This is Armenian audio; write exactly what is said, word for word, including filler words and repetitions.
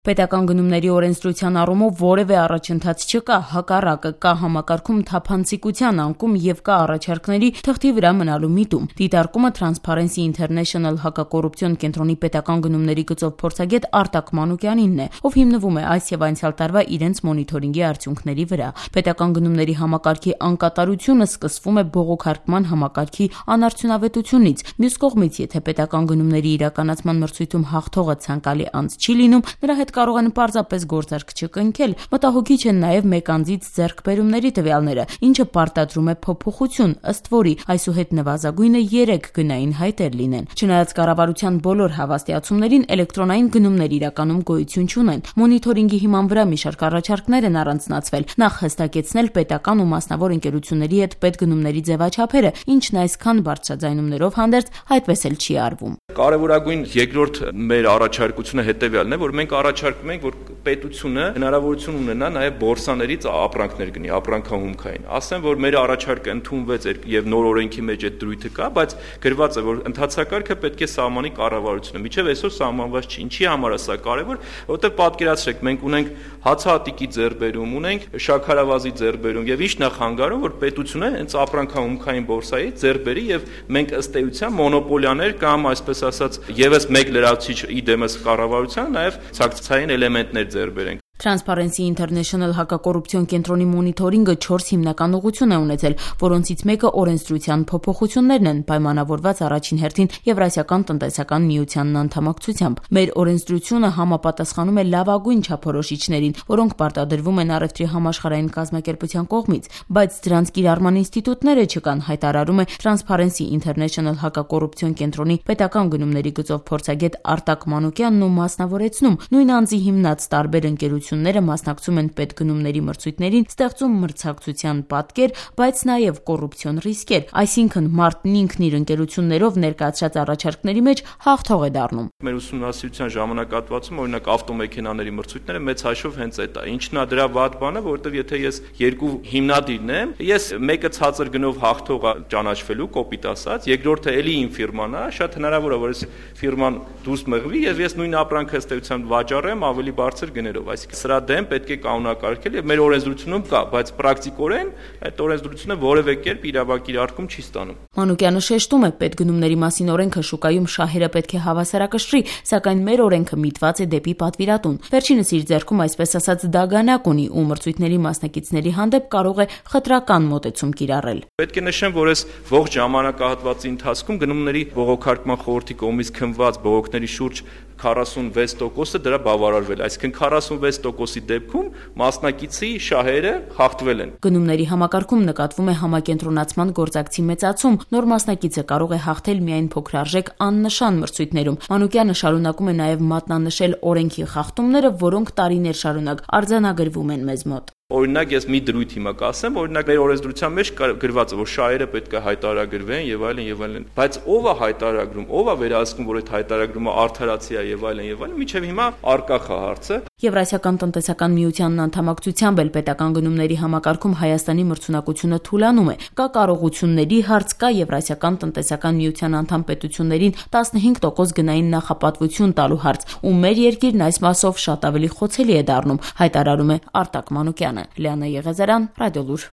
Պետական գնումների օրենսդրության առումով որևէ առաջընթաց չկա, հակառակը կա համակարգում թափանցիկության անկում եւ կա առաջարկների թղթի վրա մնալու միտում։ Դիտարկումը Transparency International հակակոռուպցիոն կենտրոնի պետական գնումների գծով փորձագետ Արտակ Մանուկյանինն է, ով հիմնվում է այս եւ անցյալ տարվա իրենց մոնիթորինգի արդյունքների վրա։ Պետական գնումների համակարգի անկատարությունը սկսվում է բողոքարկման համակարգի անարդյունավետությունից։ Մյուս կողմից, եթե պետական գնումների իրականացման մրցույթում հաղթողը ցանկալի անձ չի լինում, նրա հետ կարող են պարզապես գործարք չկնքել։ Մտահոգիչ են նաև մեկ անձից ձեռքբերումների տվյալները, ինչը պարտադրում է փոփոխություն, ըստ որի այսուհետ նվազագույնը երեք գնային հայտեր լինեն։ Չնայած կառավարության բոլոր հավաստիացումներին, էլեկտրոնային գնումներ իրականում գոյություն չունեն։ Մոնիթորինգի հիման վրա մի շարք առաջարկներ են առանձնացվել, նախ հստակեցնել պետական ու մասնավոր ընկերությունների հետ պետգնումների ձևաչափերը, ինչն այսքան բարձրաձայնումներով հանդերձ այդպես էլ չի արվում։ Կարևորագույն երկրորդ մեր առաջարկությունը հետևյալն է, որ մենք առաջարկում ենք, որ պետությունը հնարավորություն ունենա նաև բորսաներից ապրանքներ գնի, ապրանքահումքային։ Ասեմ, որ մեր առաջարկը ընդունվեց եւ նոր օրենքի մեջ այդ դրույթը կա, բայց գրված է, որ ընդհանցակարգը պետք է սահմանի կառավարությունը։ Միջև այսօր սահմանված չի։ Ինչի համար է սա կարևոր, որովհետեւ պատկերացրեք, մենք ունենք հացահատիկի ձեռբերում, ունենք շաքարավազի ձեռբերում եւ ինչ նախանգարում, որ պետությունը հենց ապրանքահումքային բորսայից ձեռբերի եւ մենք ըստ էության մոնոպոլիաներ կամ այսպես ասած եւս մեկ լրացուցիչ իդեմս կառավարության նաեւ ցակցային էլեմենտներ ձեռբերենք։ Transparency International հակակոռուպցիոն կենտրոնի մոնիթորինգը չորս հիմնական ուղղություն է ունեցել, որոնցից մեկը օրենսդրության փոփոխություններն են, պայմանավորված առաջին հերթին Եվրասիական տնտեսական միությանն անդամակցությամբ։ Մեր օրենսդրությունը համապատասխանում է լավագույն չափորոշիչներին, որոնք պարտադրվում են առևտրի համաշխարհային կազմակերպության կողմից, բայց դրանց կիրառման ինստիտուտները չկան, հայտարարում է Transparency International հակակոռուպցիոն կենտրոնի պետական գնումների գծով փորձագետ Արտակ Մանուկյանն ու մասնավորեցնում, նույն անձի հիմնած տարբեր ընկերություններ ները մասնակցում են պետգնումների մրցույթներին, ստեղծում մրցակցության պատկեր, բայց նաև կոռուպցիոն ռիսկեր, այսինքն մարդն ինքն իր ընկերություններով ներկայացրած առաջարկների մեջ հաղթող է դառնում։ Մեր ուսումնասիրության ժամանակահատվածում օրինակ ավտոմեքենաների մրցույթները մեծ հաշվով հենց այդ է։ Ինչն է դրա վատ բանը, որովհետև եթե ես երկու հիմնադիրն եմ, ես մեկը ցածր գնով հաղթող է ճանաչվելու, կոպիտ ասած, երկրորդը էլի իմ ֆիրման է, շատ հնարավոր է, որ այս ֆիրման դուրս մղվի եւ ես նույն ապրանքը ըստ էության վաճառեմ ավելի բարձր գներով, այսինքն սրա դեմ պետք է կանոնակարգել եւ մեր օրենսդրությունում կա, բայց պրակտիկորեն այդ օրենսդրությունը որևէ կերպ իրավակիրարկում չի ստանում։ Մանուկյանը շեշտում է, պետգնումների մասին օրենքը շուկայում շահերը պետք է հավասարակշռի, սակայն մեր օրենքը միտված է դեպի պատվիրատուն։ Վերջինս իր ձեռքում այսպես ասած դագանակ ունի ու մրցույթների մասնակիցների հանդեպ կարող է խտրական մոտեցում կիրառել։ Պետք է նշեմ, որ այս ողջ ժամանակահատվածի ընթացքում գնումների բողոքարկման խորհրդի կողմից քննված բողոքների շուրջ քառասունվեց տոկոսը դրա բավարարվել, այսինքն քառասունվեց տոկոսի դեպքում մասնակիցի շահերը հաղթվել են։ Գնումների համակարգում նկատվում է համակենտրոնացման գործակցի մեծացում, նոր մասնակիցը կարող է հաղթել միայն փոքրարժեք աննշան մրցույթներում։ Մանուկյանը շարունակում է նաև մատնանշել օրենքի խախտումները, որոնք տարիներ շարունակ արձանագրվում են մեզ մոտ։ Օրինակ ես մի դրույթ հիմա կասեմ, օրինակ մեր օրենսդրության մեջ գրված է, որ շահերը պետք է հայտարարագրվեն եւ այլն եւ այլն։ Բայց ով է հայտարարագրում, ով է վերահսկում, որ այդ հայտարարումը արդարացի է եւ այլն եւ այլն, միջև հիմա առկա խա հարցը։ Եվրասիական տնտեսական միությանն անդամակցությամբ էլ պետական գնումների համակարգում Հայաստանի մրցունակությունը թուլանում է։ Կա կարողությունների հարց, կա Եվրասիական տնտեսական միության անդամ պետություններին տասնհինգ տոկոս գնային նախապատվություն տալու հարց, ու մեր երկիրն այս մասով շատ ավելի խոցելի է դառնում, հայտարարում է Արտակ Մանուկյանը։ Լիանա Եղեզարյան, Ռադիոլուր։